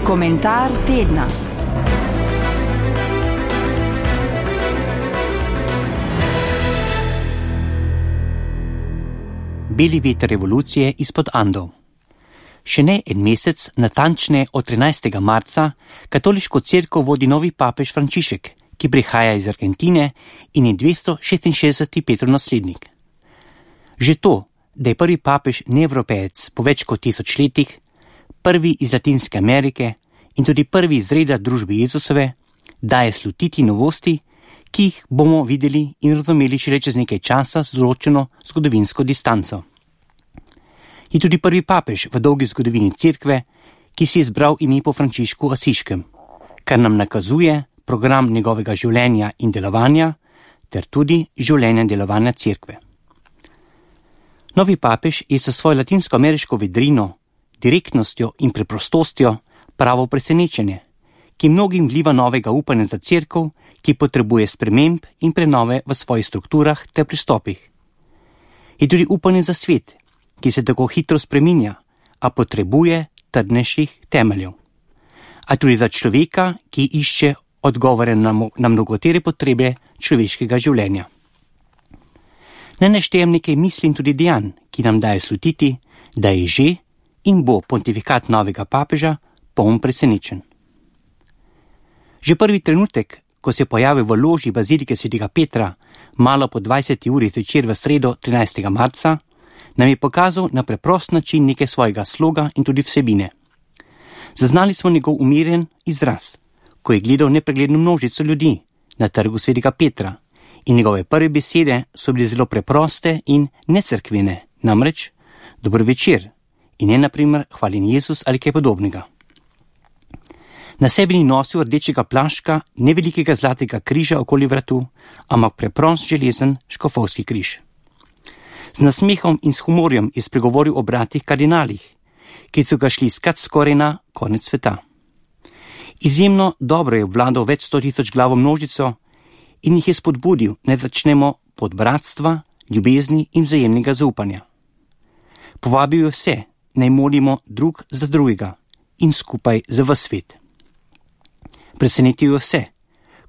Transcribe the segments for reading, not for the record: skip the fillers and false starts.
Komentar tedna. Beli veter revolucije izpod Andov. Še ne en mesec, natančneje od 13. marca, katoliško cerkev vodi novi papež Frančišek, ki prihaja iz Argentine in je 266. Petrov naslednik. Že to, da je prvi papež neevropejec po več kot 1000 letih, prvi iz Latinske Amerike in tudi prvi iz reda družbe Jezusove, daje slutiti novosti, ki jih bomo videli in razumeli šele čez nekaj časa z določeno zgodovinsko distanco. Je tudi prvi papež v dolgi zgodovini cerkve, ki si je izbral ime po Frančišku Asiškem, kar nam nakazuje program njegovega življenja in delovanja, ter tudi življenja in delovanja cerkve. Novi papež je sa svojo latinsko-ameriško vedrino, direktnostjo in preprostostjo pravo presenečenje, ki mnogim vliva novega upanja za cerkev, ki potrebuje sprememb in prenove v svojih strukturah ter pristopih. Je tudi upanje za svet, ki se tako hitro spreminja, a potrebuje trdnejših temeljev. A tudi za človeka, ki išče odgovore na mnogotere potrebe človeškega življenja. Ne naštejem nekaj misli in tudi dejanj, ki nam daje slutiti, da je že in bo pontifikat novega papeža poln presenečen. Že prvi trenutek, ko se pojavi v loži bazilike svetega Petra, malo po 20. uri zvečer v sredo 13. marca, nam je pokazal na preprost način nekaj svojega sloga in tudi vsebine. Zaznali smo njegov umiren izraz, ko je gledal nepregledno množico ljudi na trgu svetega Petra, in njegove prve besede so bile zelo preproste in necerkvene, namreč dober večer in ne naprimer hvaljen Jezus ali kaj podobnega. Na sebi ni nosil rdečega plaščka, ne velikega zlatega križa okoli vratu, ampak preprost železen škofovski križ. Z nasmehom in s humorjem je spregovoril o bratih kardinalih, ki so ga šli iskat skoraj na konec sveta. Izjemno dobro je obvladal več 100 000 glavo množico in jih je spodbudil, ne začnemo pod bratstva, ljubezni in vzajemnega zaupanja. Povabil je vse, naj molimo drug za drugega in skupaj za ves svet. Presenetil je vse,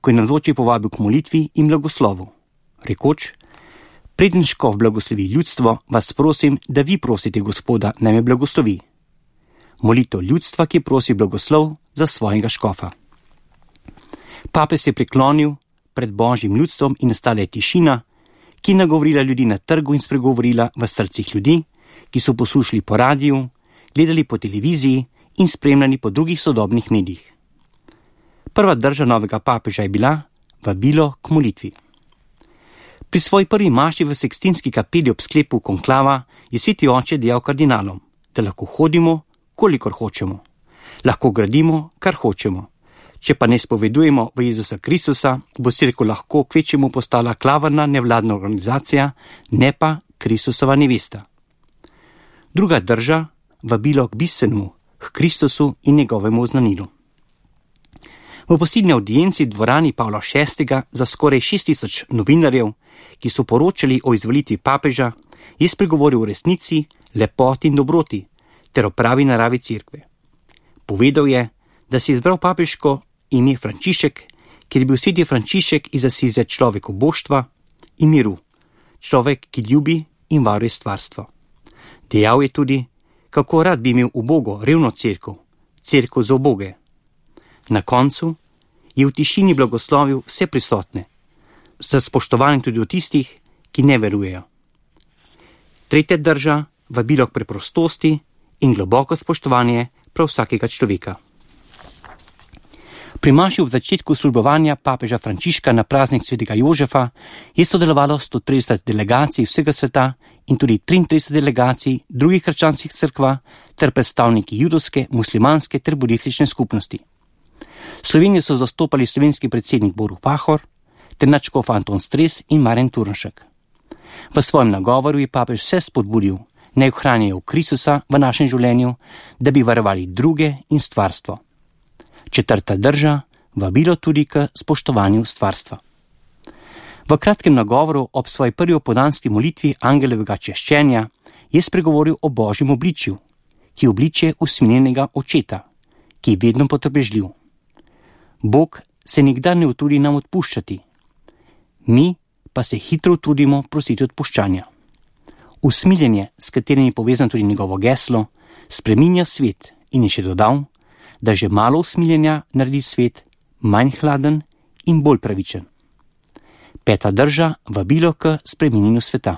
ko je navzoči povabil k molitvi in blagoslovu, rekoč: preden škof blagoslovi ljudstvo, vas prosim, da vi prosite Gospoda, naj me blagoslovi. Molitev ljudstva, ki prosi blagoslov za svojega škofa. Papež se je priklonil pred Božjim ljudstvom in nastala je tišina, ki je nagovorila ljudi na trgu in spregovorila v srcih ljudi, ki so poslušali po radiju, gledali po televiziji in spremljali po drugih sodobnih medijih. Prva drža novega papeža je bila vabilo k molitvi. Pri svoji prvi maši v Sikstinski kapeli ob sklepu konklava je sveti oče dejal kardinalom, da lahko hodimo, kolikor hočemo. Lahko gradimo, kar hočemo. Če pa ne spovedujemo v Jezusa Kristusa, bo cerkev lahko kvečjemu postala klavrna nevladna organizacija, ne pa Kristusova nevesta. Druga drža, vabilo k bistvenemu, k Kristusu in njegovemu oznanilu. V posebni audienci v dvorani Pavla VI za skoraj 6000 novinarjev, ki so poročali o izvolitvi papeža, je spregovoril o resnici, lepoti in dobroti ter o pravi naravi cerkve. Povedal je, da si je izbral papeško ime Frančišek, ker je bil sveti Frančišek iz Asize človek oboštva in miru, človek, ki ljubi in varuje stvarstvo. Dejal je tudi, kako rad bi imel ubogo, revno cerkev, cerkev za uboge. Na koncu je v tišini blagoslovil vse prisotne, s spoštovanjem tudi od tistih, ki ne verujejo. Tretja drža, vabilo k preprostosti in globoko spoštovanje prav vsakega človeka. Pri maši v začetku službovanja papeža Frančiška na praznik svetega Jožefa je sodelovalo 130 delegacij vsega sveta in tudi 33 delegacij drugih krščanskih cerkva ter predstavniki judovske, muslimanske ter budistične skupnosti. Slovenijo so zastopali slovenski predsednik Borut Pahor ter nadškof Anton Stres in Marjan Turnšek. V svojem nagovoru je papež vse spodbudil, naj ohranjajo Kristusa v našem življenju, da bi varovali druge in stvarstvo. Četrta drža, vabilo tudi k spoštovanju stvarstva. V kratkem nagovoru ob svoji prvi opoldanski molitvi angelovega češčenja je spregovoril o Božjem obličju, ki je obličje usmiljenega očeta, ki je vedno potrpežljiv. Bog se nikdar ne utrudi nam odpuščati. Mi pa se hitro trudimo prositi odpuščanja. Usmiljenje, s katerim je povezano tudi njegovo geslo, spreminja svet in je še dodal, da že malo usmiljenja naredi svet manj hladen in bolj pravičen. 5. drža vabilo k spreminjanju sveta.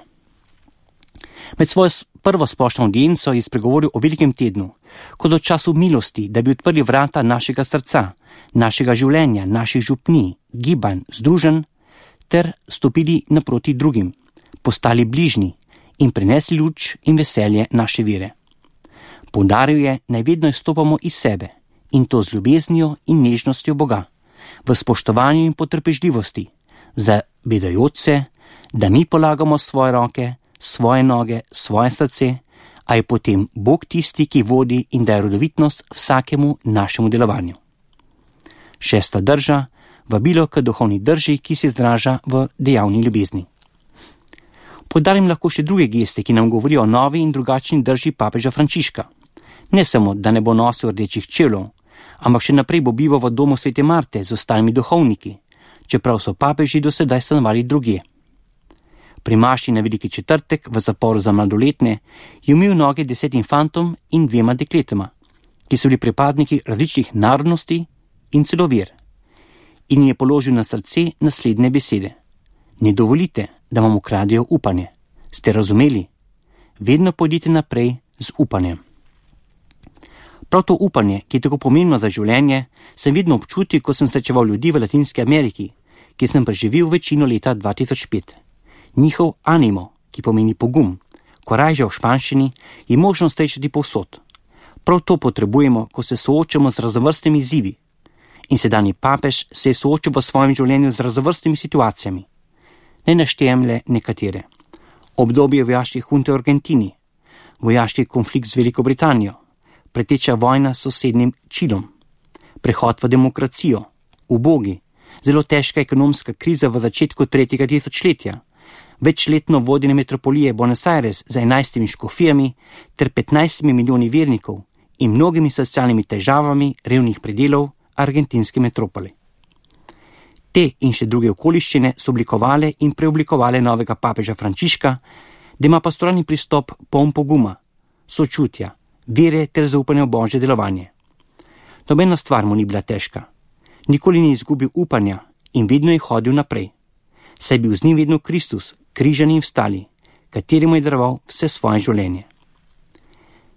Med svojo prvo splošno audienco je spregovoril o velikem tednu, kot o času milosti, da bi odprli vrata našega srca, našega življenja, naših župnij, gibanj, združenj, ter stopili naproti drugim, postali bližnji in prinesli luč in veselje naše vere. Poudaril je, naj vedno izstopamo iz sebe, in to z ljubeznijo in nežnostjo Boga, v spoštovanju in potrpežljivosti, zavedajoč se, da mi polagamo svoje roke, svoje noge, svoje srce, a je potem Bog tisti, ki vodi in daje rodovitnost vsakemu našemu delovanju. 6. drža, vabilo k duhovni drži, ki se izraža v dejavni ljubezni. Podarim lahko še druge geste, ki nam govorijo o novi in drugačni drži papeža Frančiška. Ne samo, da ne bo nosil rdečih čevljev, ampak še naprej bo bival v domu Svete Marte z ostalimi duhovniki, čeprav so papeži do sedaj stanovali drugje. Pri maši na Veliki četrtek v zaporu za mladoletne je umil noge 10 fantom in 2 dekletama, ki so bili pripadniki različnih narodnosti in celo ver, in jim je položil na srce naslednje besede. Ne dovolite, da vam ukradejo upanje. Ste razumeli? Vedno pojdite naprej z upanjem. Prav to upanje, ki je tako pomembno za življenje, sem vedno občutil, ko sem srečeval ljudi v Latinski Ameriki, ki sem preživel večino leta 2005. Njihov animo, ki pomeni pogum, korajža v španščini, je možno srečati povsod. Prav to potrebujemo, ko se soočamo z raznovrstnimi izzivi. In sedanji papež se je soočil v svojem življenju z raznovrstnimi situacijami. Ne naštejem le nekatere. Obdobje vojaške hunte v Argentini, vojaški konflikt z Veliko Britanijo, preteča vojna s sosednjim Čilom, prehod v demokracijo, ubogi, zelo težka ekonomska kriza v začetku 3. tisočletja, večletno vodenje metropolije Buenos Aires z 11 škofijami ter 15 milijoni vernikov in mnogimi socialnimi težavami revnih predelov argentinske metropole. Te in še druge okoliščine so oblikovale in preoblikovale novega papeža Frančiška, da ima pastoralni pristop poln poguma, sočutja, vere ter zaupanja v Božje delovanje. Nobena stvar mu ni bila težka. Nikoli ni izgubil upanja in vedno je hodil naprej. Saj je bil z njim vedno Kristus, križan in vstali, kateremu je daroval vse svoje življenje.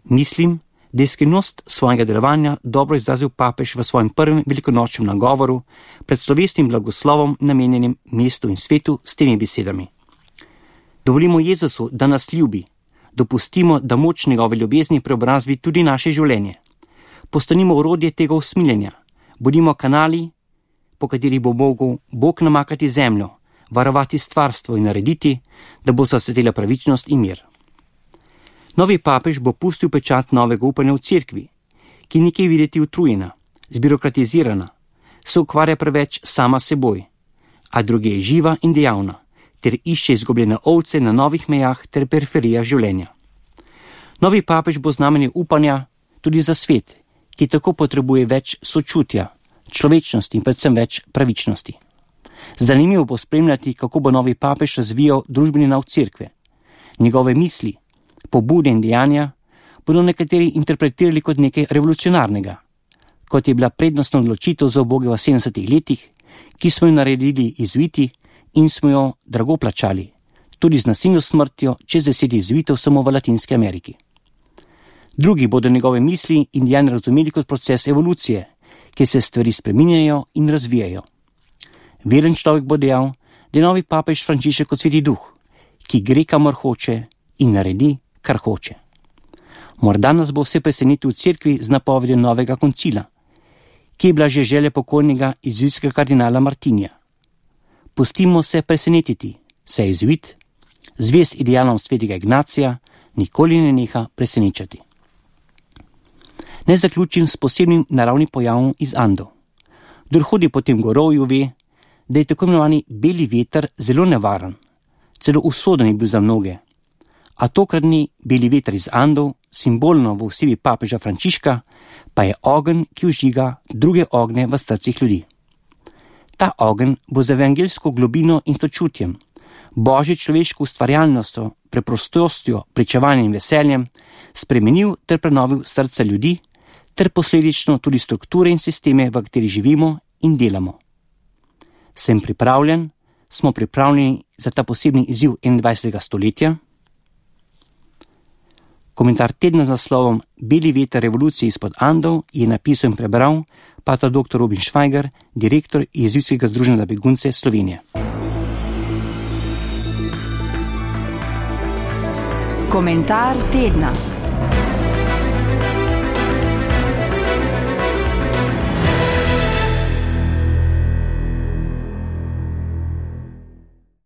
Mislim, da je skrivnost svojega delovanja dobro izrazil papež v svojem prvem velikonočnem nagovoru pred slovesnim blagoslovom namenjenim mestu in svetu s temi besedami. Dovolimo Jezusu, da nas ljubi, dopustimo, da moč njegove ljubezni preobrazbi tudi naše življenje. Postanimo orodje tega usmiljenja, bodimo kanali, po katerih bo mogel Bog namakati zemljo, varovati stvarstvo in narediti, da bo zasvetila pravičnost in mir. Novi papež bo pustil pečat novega upanja v cerkvi, ki ni kaj videti utrujena, zbirokratizirana, se ukvarja preveč sama seboj, a druge je živa in dejavna, ter išče izgubljene ovce na novih mejah ter periferijah življenja. Novi papež bo znamenje upanja tudi za svet, ki tako potrebuje več sočutja, človečnosti in predvsem več pravičnosti. Zanimivo bo spremljati, kako bo novi papež razvijal družbeni nauk cerkve. Njegove misli, pobude in dejanja bodo nekateri interpretirali kot nekaj revolucionarnega, kot je bila prednostna odločitev za uboge v 70. letih, ki smo jo naredili jezuiti in smo jo drago plačali, tudi z nasilno smrtjo čez 10 jezuitov samo v Latinski Ameriki. Drugi bodo njegove misli in dejanja razumeli kot proces evolucije, kjer se stvari spreminjajo in razvijajo. Veren človek bo dejal, da je novi papež Frančišek kot Sveti Duh, ki gre kamor hoče in naredi, kar hoče. Morda nas bo vse presenetil v cerkvi z napovedjo novega koncila, ki je bila že želja pokojnega jezuitskega kardinala Martinija. Pustimo se presenetiti, saj jezuit, zvest idealom svetega Ignacija, nikoli ne neha presenečati. Naj zaključim s posebnim naravnim pojavom iz Andov. Kdor hodi po tem gorovju ve, da je tako imenovani beli veter zelo nevaren, celo usoden je bil za mnoge, a tokratni beli veter iz Andov, simbolno v osebi papeža Frančiška, pa je ogenj, ki vžiga druge ogne v srcih ljudi. Ta ogenj bo z evangeljsko globino in sočutjem, božjo človeško ustvarjalnostjo, preprostostjo, pričevanjem in veseljem spremenil ter prenovil srca ljudi, ter posledično tudi strukture in sisteme, v kateri živimo in delamo. Sem pripravljen, smo pripravljeni za ta posebni izziv 21. stoletja? Komentar tedna z naslovom Beli veter revolucije izpod Andov je napisal in prebral pater dr. Robin Švajger, direktor Jezuitskega združenja za begunce Slovenije. Komentar tedna.